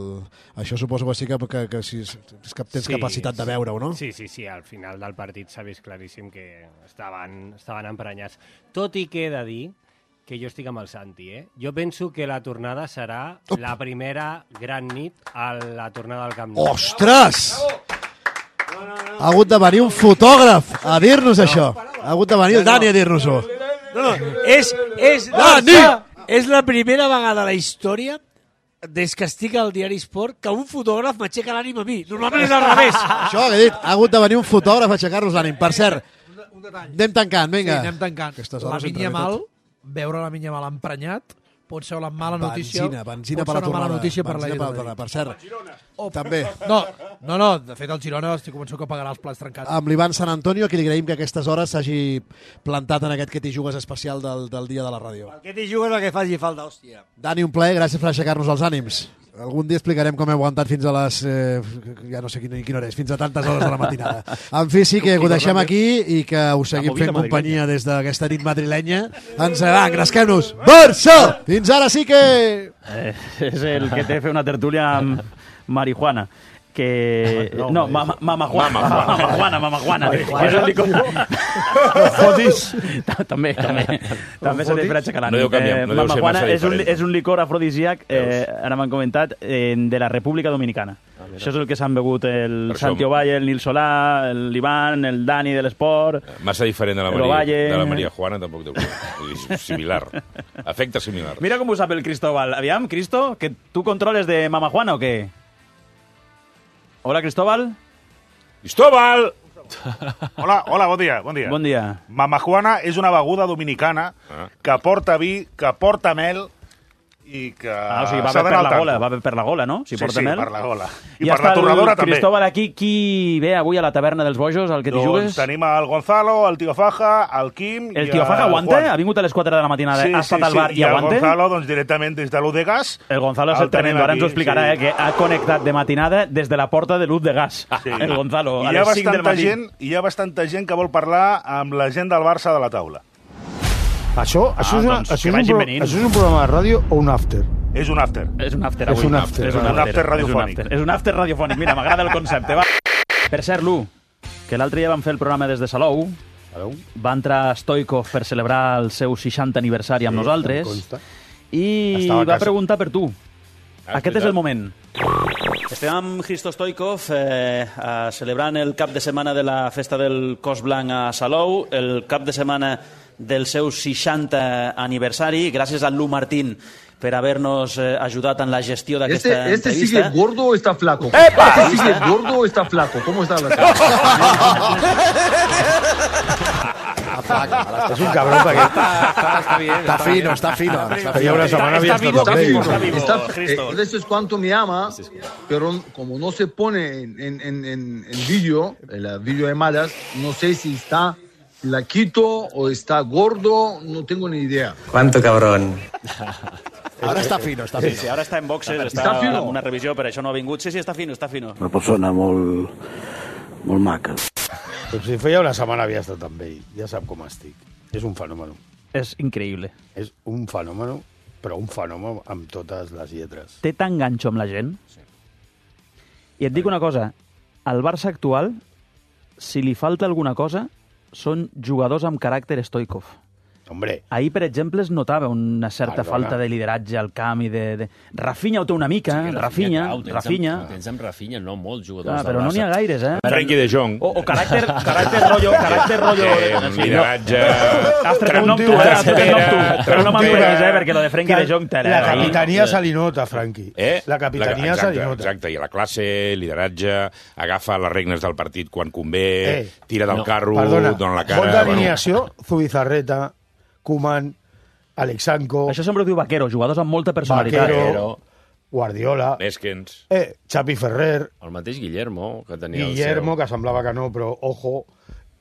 Això suposo que sí que, que, que, si, és que tens sí, capacitat de veure-ho, no? Sí, sí, sí, al final del partit s'ha vist claríssim que estaven, estaven emprenyats. Tot i que he de dir que jo estic amb el Santi, eh? Jo penso que la tornada serà Op. la primera gran nit a la tornada al Camp Nou. Ostres! Ha hagut de venir un fotògraf a dir-nos no. això. Ha hagut de venir el Dani a dir-nos-ho. No, no, és, és, Dani! és la primera vegada a la història des que estic al diari Esport que un fotògraf m'aixeca l'ànim a mi. Normalment és al revés. Això que he dit, ha hagut de venir un fotògraf a aixecar-nos l'ànim. Per cert, anem tancant, vinga. Sí, anem tancant. La Minya Mal, veure la Minya Mal emprenyat, pot ser una mala notícia. Benzina, benzina pot per ser la una mala tornada. notícia per la Benzina per la tornada. Per cert, també. No, no, no, de fet el Girona estic convençut que pagarà els plats trencats. Amb l'Ivan Sant Antonio, a qui li agraïm que a aquestes hores s'hagi plantat en aquest que t'hi jugues especial del, del dia de la ràdio. El que t'hi jugues el que faci falta, hòstia. Dani, un plaer, gràcies per aixecar-nos els ànims. Algun dia explicarem com he aguantat fins a les... Eh, ja no sé quina, quina hora és, fins a tantes hores de la matinada. En fi, sí que ho deixem aquí i que us seguim fent companyia des d'aquesta nit madrilenya. Ens va, engresquem-nos. Barça! Fins ara sí que... Eh, és el que té fer una tertúlia amb marihuana. Que... No, no mama, mama Juana. Mama Juana, mama Juana. És el licor... Fotis. També, també. També s'ha de fer aixecar l'ànim. No deu canviar, no deu ser Juana massa és un, diferent. és un licor afrodisíac, eh, ara m'han comentat, eh, de la República Dominicana. Ah, això és el que s'han begut el per Santi Ovalle, el Nil Solà, l'Ivan, el Dani de l'Esport... Massa diferent de la, Maria, de la Maria Juana, tampoc deu ser. Similar. Efecte similar. Mira com ho sap el Cristóbal. Aviam, Cristo, que tu controles de Mama Juana o què? Hola, Cristóbal. Cristóbal! Hola, hola, bon dia, bon dia. Bon dia. Mama Juana és una beguda dominicana ah. que porta vi, que porta mel i que ah, o sigui, va per la gola, va per la gola, no? Si sí, porta sí, mel. per la gola. I, I per la torradora també. Cristóbal, aquí, qui ve avui a la taverna dels bojos, al que t'hi doncs jugues? Tenim el Gonzalo, el Tio Faja, el Quim... El Tio Faja aguanta? Ha vingut a les quatre de la matinada, sí, ha estat sí, al bar sí. i, i aguanta? I el Gonzalo, doncs, directament des de l'U de Gas. El Gonzalo és el tremendo, ara ens ho explicarà, sí. eh, que ha connectat de matinada des de la porta de l'U de Gas. Sí. El Gonzalo, I a les cinc del matí. Gent, hi ha bastanta gent que vol parlar amb la gent del Barça de la taula. Això, ah, això, és, una, doncs, això, és un pro, això és un programa de ràdio o un after? És un after. És un after avui. És un after, és un after, un after radiofònic. És un after radiofònic. Mira, m'agrada el concepte. Va. Per cert, Lu, que l'altre dia vam fer el programa des de Salou, va entrar Stoikov per celebrar el seu seixantè aniversari amb sí, nosaltres i va preguntar per tu. Ah, Aquest és el moment. Estem amb Hristo Stoikov eh, celebrant el cap de setmana de la festa del Cos Blanc a Salou, el cap de setmana del seu seixantè aniversari. Gràcies a Lu Martín per haver-nos eh, ajudat en la gestió d'aquesta este, este entrevista. ¿Este sigue gordo o está flaco? ¡Epa! ¿Este sigue gordo o está flaco? ¿Cómo está la És un cabrón perquè... Está, bien, está fino, está fino. Está fino. Una semana está, está, vivo, está, vivo, está vivo. Está, eh, eso es cuánto me ama, pero como no se pone en, en, en, en vídeo, el vídeo de malas, no sé si está flaquito o está gordo, no tengo ni idea. Cuánto cabrón. Ara està fino, està fino. Sí, sí, ara està en boxes, està, està fino. en una revisió, per això no ha vingut. Sí, sí, està fino, està fino. Una persona molt, molt maca. Però si feia una setmana havia estat amb ell, ja sap com estic. És un fenomen. És increïble. És un fenomen, però un fenomen amb totes les lletres. Té tan ganxo amb la gent. Sí. I et dic una cosa, al Barça actual, si li falta alguna cosa, són jugadors amb caràcter Stoikov. Hombre. Ahir, per exemple, es notava una certa Perdona. falta de lideratge al camp i de... de... Rafinha ho té una mica, Sí, Rafinha, clar, ho tens Rafinha... Amb, ho tens amb Rafinha, no molts jugadors Ah, del però no n'hi ha Barça. gaires, eh? Frenkie de Jong. O, o caràcter, caràcter rotllo... Caràcter rotllo... Eh, lideratge... Has tret un nom tu, eh? Has tret un nom tu. Però no m'emprenyis, eh? Perquè lo de Frenkie de Jong... La capitania se li nota, Franqui. Eh? La capitania exacte, se li nota. Exacte, i la classe, lideratge, agafa les regnes del partit quan convé, Eh, tira del no, carro, perdona, dona la cara... Vol d'alineació, Zubizarreta, Koeman, Alexanco... Això sempre ho diu Vaquero, jugadors amb molta personalitat. Vaquero, Guardiola... Neskens... Eh, Xavi Ferrer... El mateix Guillermo, que tenia Guillermo, el seu... que semblava que no, però ojo...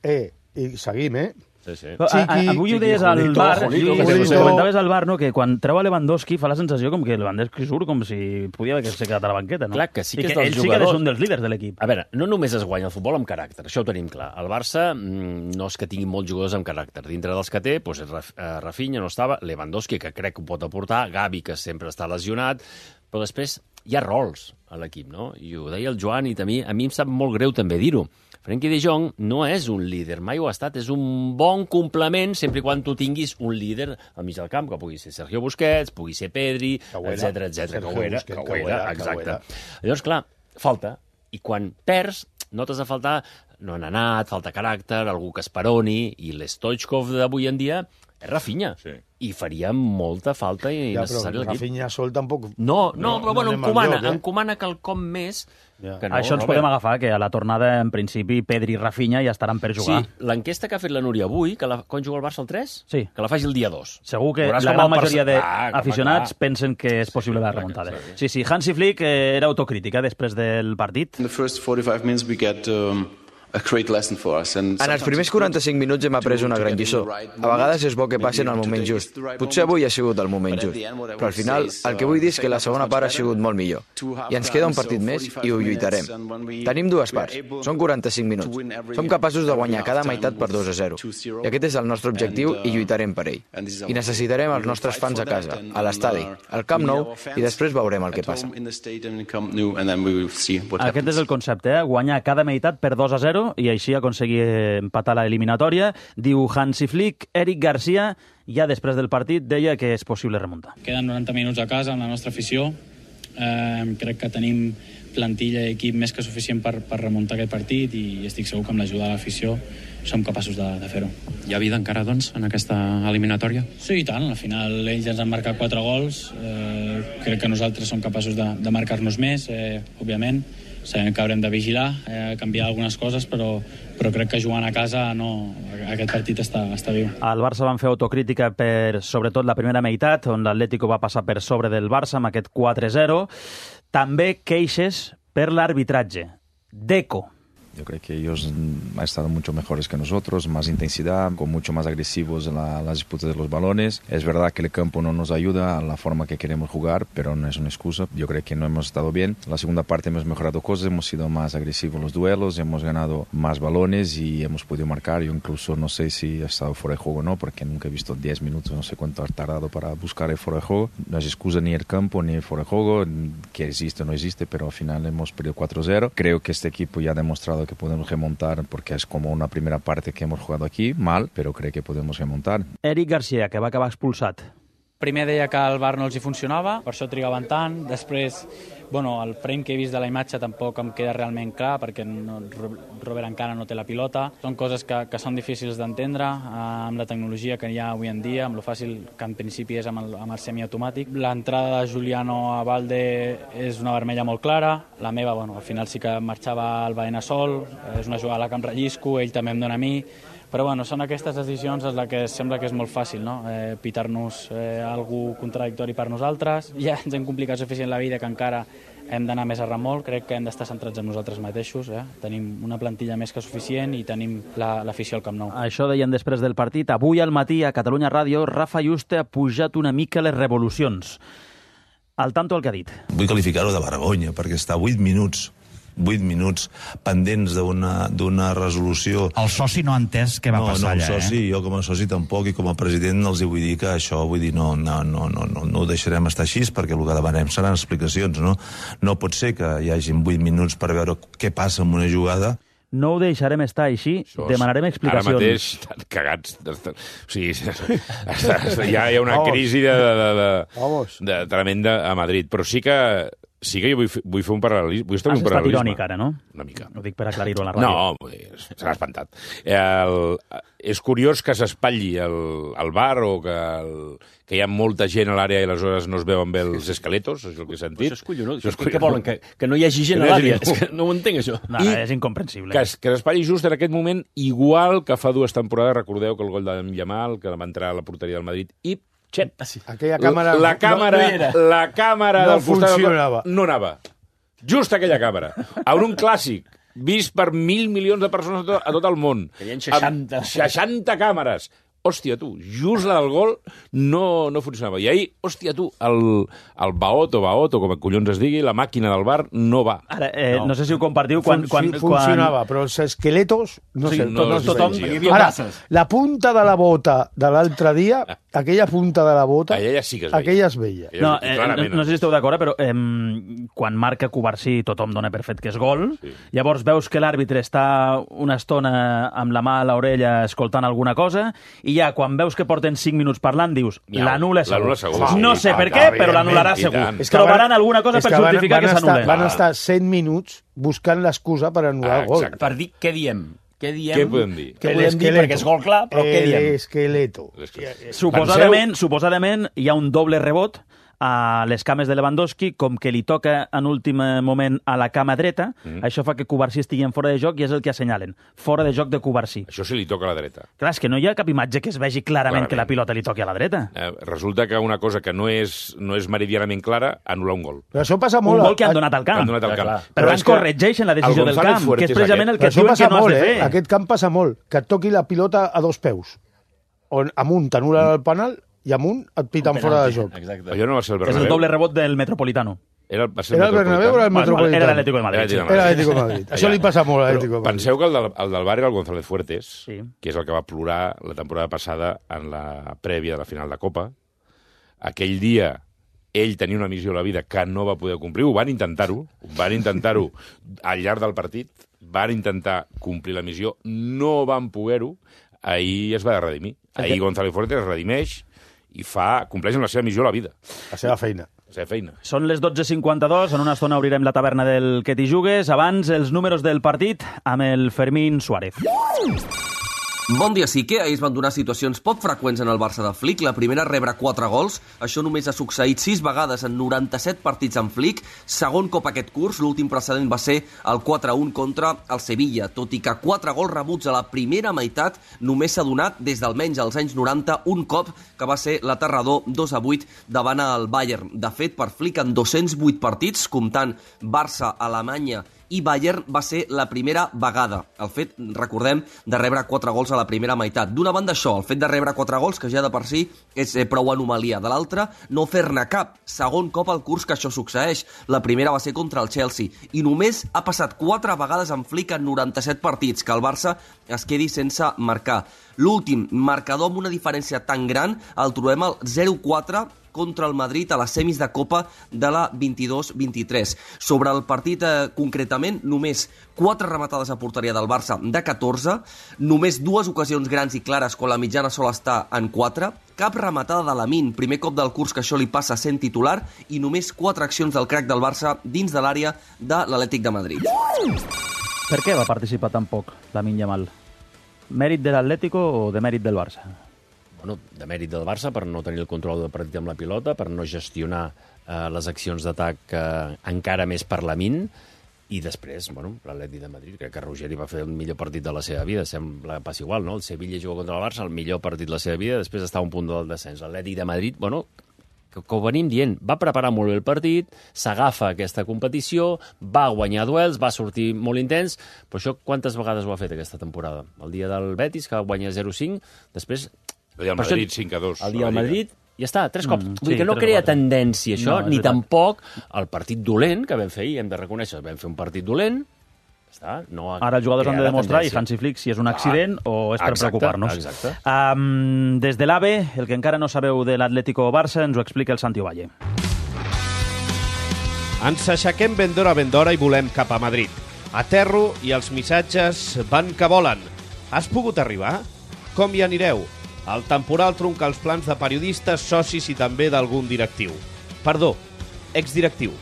Eh, i seguim, eh? Sí, sí. Però, a, a, avui ho deies al Julito, bar, Julito, sí, Julito. ho comentaves al bar, no? Que quan treu a Lewandowski fa la sensació com que Lewandowski surt com si podia haver quedat a la banqueta, no? Clar, que sí que I és que dels ell sí que jugadors... és un dels líders de l'equip. A veure, no només es guanya el futbol amb caràcter, això ho tenim clar. El Barça mm, no és que tingui molts jugadors amb caràcter. Dintre dels que té, doncs, Raf, eh, Rafinha no estava, Lewandowski, que crec que ho pot aportar, Gavi, que sempre està lesionat, però després hi ha rols a l'equip, no? I ho deia el Joan, i a mi, a mi em sap molt greu també dir-ho. Frenkie de Jong no és un líder, mai ho ha estat, és un bon complement sempre i quan tu tinguis un líder al mig del camp, que pugui ser Sergio Busquets, pugui ser Pedri, etcètera, etcètera, que ho era, que ho era, exacte. Llavors, clar, falta, i quan perds, notes a faltar, no han anat, falta caràcter, algú que esperoni, i l'Stoichkov d'avui en dia és Rafinha, sí. I faria molta falta i Ja, necessari però l'equip. Rafinha sol tampoc... No, no, però bueno, anem encomana, al lloc, eh? encomana quelcom més Ja. que no. Això ens Robert. podem agafar, que a la tornada, en principi, Pedri i Rafinha ja estaran per jugar. Sí, l'enquesta que ha fet la Núria avui, que la, quan juga el Barça el tres, sí. que la faci el dia dos. Segur que Veuràs la com gran el majoria perce- Ah, d'aficionats clar. pensen que és possible la remuntada. Sí, sí, Hansi Flick eh, era autocrítica després del partit. In the first forty-five minutes we get um, a great lesson for us. And En els primers quaranta-cinc minuts hem après una gran lliçó. A vegades és bo que passin al moment just. Potser avui ha sigut el moment just. Però al final, el que vull dir és que la segona part ha sigut molt millor. I ens queda un partit més i ho lluitarem. Tenim dues parts. Són quaranta-cinc minuts. Som capaços de guanyar cada meitat per dos a zero. I aquest és el nostre objectiu i lluitarem per ell. I necessitarem els nostres fans a casa, a l'estadi, al Camp Nou, i després veurem el que passa. Aquest és el concepte, eh? Guanyar cada meitat per dos a zero i així aconseguir empatar l'eliminatòria. Diu Hansi Flick. Eric Garcia, ja després del partit, deia que és possible remuntar. Queden noranta minuts a casa amb la nostra afició. Eh, crec que tenim plantilla i equip més que suficient per, per remuntar aquest partit i estic segur que amb l'ajuda de l'afició som capaços de, de fer-ho. Hi ha vida encara, doncs, en aquesta eliminatòria? Sí, i tant. Al final ells ens han marcat quatre gols. Eh, crec que nosaltres som capaços de, de marcar-nos més, eh, òbviament. Sabem que haurem de vigilar, eh, canviar algunes coses, però, però crec que jugant a casa no, aquest partit està, està viu. Al Barça van fer autocrítica per, sobretot, la primera meitat, on l'Atlético va passar per sobre del Barça amb aquest quatre zero. També queixes per l'arbitratge. Deco. Yo creo que ellos han estado mucho mejores que nosotros, más intensidad, con mucho más agresivos en la, las disputas de los balones. Es verdad que el campo no nos ayuda a la forma que queremos jugar, pero no es una excusa. Yo creo que no hemos estado bien. La segunda parte hemos mejorado cosas, hemos sido más agresivos en los duelos, hemos ganado más balones y hemos podido marcar. Yo incluso no sé si ha estado fuera de juego o no, porque nunca he visto diez minutos, no sé cuánto ha tardado para buscar el fuera de juego. No es excusa ni el campo ni el fuera de juego, que existe o no existe, pero al final hemos perdido cuatro cero. Creo que este equipo ya ha demostrado que podemos remontar, porque es como una primera parte que hemos jugado aquí, mal, pero creo que podemos remontar. Eric Garcia, que va acabar expulsat. Primer deia que el V A R no els hi funcionava, per això trigaven tant. Després, bueno, el frame que he vist de la imatge tampoc em queda realment clar, perquè no, Robert encara no té la pilota. Són coses que, que són difícils d'entendre, eh, amb la tecnologia que hi ha avui en dia, amb lo fàcil que en principi és amb el, amb el semiautomàtic. L'entrada de Juliano a Valde és una vermella molt clara. La meva, bueno, al final sí que marxava el Baena sol, és una jugada a la que em rellisco, ell també em dona a mi. Però bueno, són aquestes decisions en les que sembla que és molt fàcil, no? Eh, pitar-nos eh, algú contradictori per nosaltres. Ja ens hem complicat suficient la vida que encara hem d'anar més a remolc. Crec que hem d'estar centrats en nosaltres mateixos. Eh? Tenim una plantilla més que suficient i tenim l'afició la, al Camp Nou. Això deien després del partit. Avui al matí a Catalunya Ràdio, Rafa Juste ha pujat una mica les revolucions. Al tanto el que ha dit. Vull qualificar-ho de vergonya, perquè està vuit minuts vuit minuts pendents d'una resolució. El soci no ha entès què va no, passar no, allà, el soci, eh? Jo com a soci tampoc, i com a president els hi vull dir que això, vull dir, no, no, no, no, no, no ho deixarem estar així, perquè el que demanem seran explicacions, no? No pot ser que hi hagin vuit minuts per veure què passa amb una jugada. no ho deixarem estar així, Això, demanarem explicacions. Ara mateix estan cagats. O sigui, ja hi ha una crisi de, de, de, de tremenda a Madrid. Però sí que sí que jo vull, vull fer un paral·lelisme. Vull Has estat irònic ara, no? Una mica. Ho dic per aclarir-ho a la ràdio. No, se l'ha espantat. El, és curiós que s'espatlli el, el bar o que, el, que hi ha molta gent a l'àrea i aleshores no es veuen bé els esqueletos, és el que he sentit. Això és collonós. Això és collonós. Què volen? Que, que no hi hagi gent a l'àrea? És que no ho entenc, això. No, I és incomprensible. Que, que s'espatlli just en aquest moment, igual que fa dues temporades, recordeu que el gol de Yamal, que va entrar a la porteria del Madrid, i xep. Aquella càmera... La càmera, no, no la càmera no del costat funcionava. No anava. Just aquella càmera. En un clàssic, vist per mil milions de persones a tot, a tot el món. Que hi ha seixanta. seixanta càmeres. Hòstia, tu, just la del gol no, no funcionava. I ahir, hòstia, tu, el, el Baot o Baot, o com collons es digui, la màquina del bar no va. Ara, eh, no. no sé si ho compartiu quan... Fun, quan funcionava, quan... però els esqueletos... No sí, sé, no, tot, tothom... Ara, la punta de la bota de l'altre dia, aquella punta de la bota... Aquella sí que es veia. Aquella es veia. No, eh, no, no sé si esteu d'acord, però eh, quan marca Cubarsí tothom dona per fet que és gol, sí. Llavors veus que l'àrbitre està una estona amb la mà a l'orella escoltant alguna cosa, i ja quan veus que porten cinc minuts parlant, dius, l'anul·la segur. segur. No sé per què, però l'anul·larà segur. Trobaran alguna cosa per justificar que s'anul·le. Van estar cent minuts buscant l'excusa per anul·lar el gol. Per dir què diem. Què diem? Què podem dir? Què podem dir? Perquè és gol clar, però què diem? L'esqueleto. Suposadament, suposadament hi ha un doble rebot a les cames de Lewandowski, com que li toca en últim moment a la cama dreta, mm. això fa que Cubarsí estigui en fora de joc i és el que assenyalen. Fora de joc de Cubarsí. Això sí li toca a la dreta. Clar, és que no hi ha cap imatge que es vegi clarament, clarament. que la pilota li toqui a la dreta. Eh, resulta que una cosa que no és, no és meridianament clara anul·la un gol. Però això passa molt... Un gol que han donat al camp. Han donat al camp. Però, però es corregeixen la decisió del camp, que és precisament el que et diuen que no has de fer. Eh? Aquest camp passa molt, que et toqui la pilota a dos peus. On amunt t'anul·la el penal i amunt et piten fora de joc. Exacte. Allò no va ser el Bernabéu. És el doble rebot del Metropolitano. Era, va ser era el Bernabéu o era el Metropolitano? Era l'Atlético de Madrid. Era l'Atlético de Madrid. Això li passa molt a l'Atlético de Madrid. Penseu que el del, el del bar era el González Fuertes, sí. que és el que va plorar la temporada passada en la prèvia de la final de Copa. Aquell dia ell tenia una missió a la vida que no va poder complir, ho van intentar-ho, van intentar-ho al llarg del partit, van intentar complir la missió, no van poder-ho, ahir es va redimir. Ahir González Fuertes es redimeix i fa, compleix amb la seva missió a la vida. La seva feina. La seva feina. Són les dotze cinquanta-dos, en una estona obrirem la taverna del Que t'hi jugues. Abans, els números del partit amb el Fermín Suárez. Bon dia, sí que ahir es van donar situacions poc freqüents en el Barça de Flick. La primera, rebre quatre gols. Això només ha succeït sis vegades en noranta-set partits amb Flick. Segon cop aquest curs, l'últim precedent va ser el quatre a un contra el Sevilla. Tot i que quatre gols rebuts a la primera meitat, només s'ha donat des d'almenys als anys noranta un cop, que va ser l'aterrador dos a vuit davant el Bayern. De fet, per Flick, en dos-cents vuit partits, comptant Barça, Alemanya i Bayern, va ser la primera vegada. El fet, recordem, de rebre quatre gols a la primera meitat. D'una banda això, el fet de rebre quatre gols, que ja de per si és eh, prou anomalia. De l'altra, no fer-ne cap. Segon cop al curs que això succeeix. La primera va ser contra el Chelsea. I només ha passat quatre vegades en Flick en noranta-set partits, que el Barça es quedi sense marcar. L'últim marcador amb una diferència tan gran el trobem al zero quatre contra el Madrid a les semis de Copa de la vint-i-dos vint-i-tres. Sobre el partit eh, concretament, només quatre rematades a porteria del Barça de catorze, només dues ocasions grans i clares quan la mitjana sol estar en quatre, cap rematada de Lamine, primer cop del curs que això li passa sent titular, i només quatre accions del crack del Barça dins de l'àrea de l'Atlètic de Madrid. Per què va participar tan poc Lamine Yamal? Mèrit de l'Atlético o de mèrit del Barça? Bueno, de mèrit del Barça per no tenir el control del partit amb la pilota, per no gestionar eh, les accions d'atac eh, encara més per Lamine, i després, bueno, l'Atlètic de Madrid, crec que Ruggeri va fer el millor partit de la seva vida, sembla pas igual, no? El Sevilla juga contra el Barça, el millor partit de la seva vida, després està a un punt del descens. L'Atlètic de Madrid, bueno, que, que ho venim dient, va preparar molt bé el partit, s'agafa aquesta competició, va guanyar duels, va sortir molt intens, però això quantes vegades ho ha fet aquesta temporada? El dia del Betis, que guanya zero cinc, després... El dia del Madrid, cinc a dos. El dia del Madrid, ja està, tres cops. Mm, Vull dir sí, que no crea tendència, això, no, ni veritat. tampoc el partit dolent que vam fer ahir, hem de reconèixer, vam fer un partit dolent, està, no ara els jugadors han de demostrar, i Hansi Flick, si és un accident ah, o és per exacte, preocupar-nos. Exacte. Um, des de l'AVE, el que encara no sabeu de l'Atlético Barça, ens ho explica el Santi Ovalle. Ens aixequem ben d'hora ben d'hora i volem cap a Madrid. Aterro i els missatges van que volen. Has pogut arribar? Com hi anireu? El temporal trunca els plans de periodistes, socis i també d'algun directiu. Perdó, exdirectiu.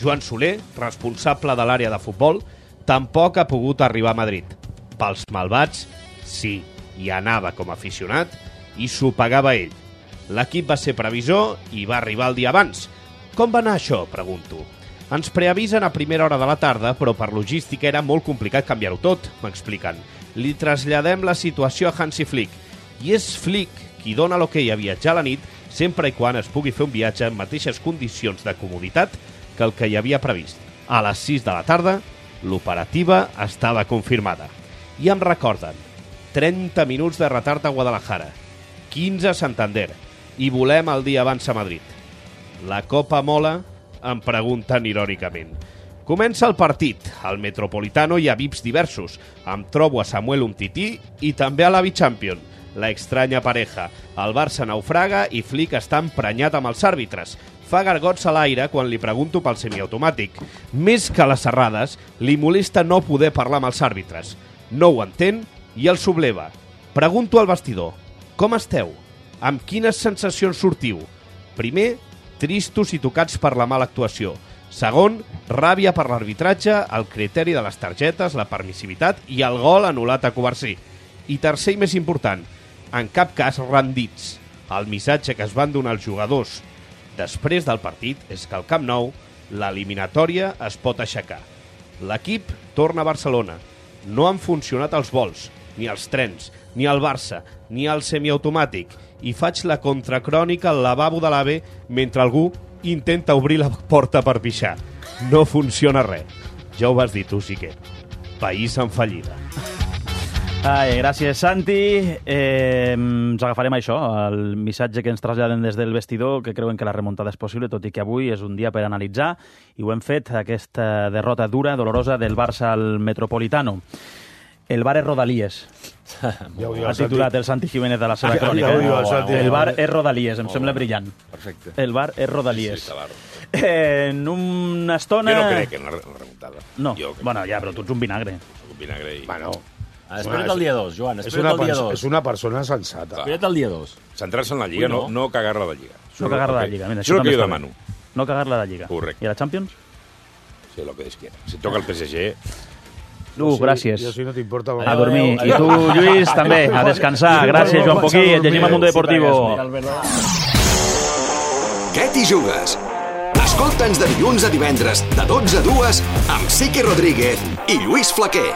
Joan Soler, responsable de l'àrea de futbol, tampoc ha pogut arribar a Madrid. Pels malvats, sí, hi anava com a aficionat i s'ho pagava ell. L'equip va ser previsor i va arribar el dia abans. Com va anar això, pregunto. Ens preavisen a primera hora de la tarda, però per logística era molt complicat canviar-ho tot, m'expliquen. Li traslladem la situació a Hansi Flick, i és Flick qui dona l'hoquei a viatjar a la nit sempre i quan es pugui fer un viatge en mateixes condicions de comoditat que el que hi havia previst. A les sis de la tarda, l'operativa estava confirmada. I em recorden, trenta minuts de retard a Guadalajara, quinze a Santander, i volem el dia abans a Madrid. La Copa mola? Em pregunten irònicament. Comença el partit. Al Metropolitano hi ha V I Ps diversos. Em trobo a Samuel Umtiti i també a l'Avi Champion, la extraña pareja. El Barça naufraga i Flick està emprenyat amb els àrbitres. Fa gargots a l'aire quan li pregunto pel semiautomàtic. Més que les errades, li molesta no poder parlar amb els àrbitres. No ho entén i el subleva. Pregunto al vestidor. Com esteu? Amb quines sensacions sortiu? Primer, tristos i tocats per la mala actuació. Segon, ràbia per l'arbitratge, el criteri de les targetes, la permissivitat i el gol anul·lat a Covarsí. I tercer i més important, en cap cas rendits. El missatge que es van donar els jugadors després del partit és que al Camp Nou l'eliminatòria es pot aixecar. L'equip torna a Barcelona. No han funcionat els vols, ni els trens, ni el Barça, ni el semiautomàtic. I faig la contracrònica al lavabo de l'AVE mentre algú intenta obrir la porta per pixar. No funciona res. Ja ho vas dir tu, Siquet. País en fallida. Ai, gràcies, Santi. Eh, ens agafarem això, el missatge que ens traslladen des del vestidor, que creuen que la remuntada és possible, tot i que avui és un dia per analitzar, i ho hem fet, aquesta derrota dura, dolorosa, del Barça al Metropolitano. El bar és Rodalies. Ja ha titulat el Santi Jiménez de la seva crònica. Ja diu, el, el bar és Rodalies, em oh, sembla brillant. Perfecte. El bar és Rodalies. Sí, sí, eh, en una estona... Jo no crec en la remuntada. No, bueno, ja, però tu ets un vinagre. Un vinagre i... Bueno, espera't el dia dos, Joan, espera't el dia dos. És una persona sensata. Espera't el dia dos. Centrar-se en la Lliga, no, no cagar-la de Lliga. No cagar-la de Lliga. Això és el que jo demano. No cagar-la de Lliga. Correcte. I a la Champions? Sí, el que Déu quiera. Si toca el P S G... Uh, gràcies. Jo, si no t'importa... A dormir. I tu, Lluís, també, a descansar. Gràcies, Joan Poquí. Et llegim al Mundo Deportivo. Què t'hi jugues? Escolta'ns de dilluns a divendres, de dotze a dues, amb Sique Rodríguez i Lluís Flaquer.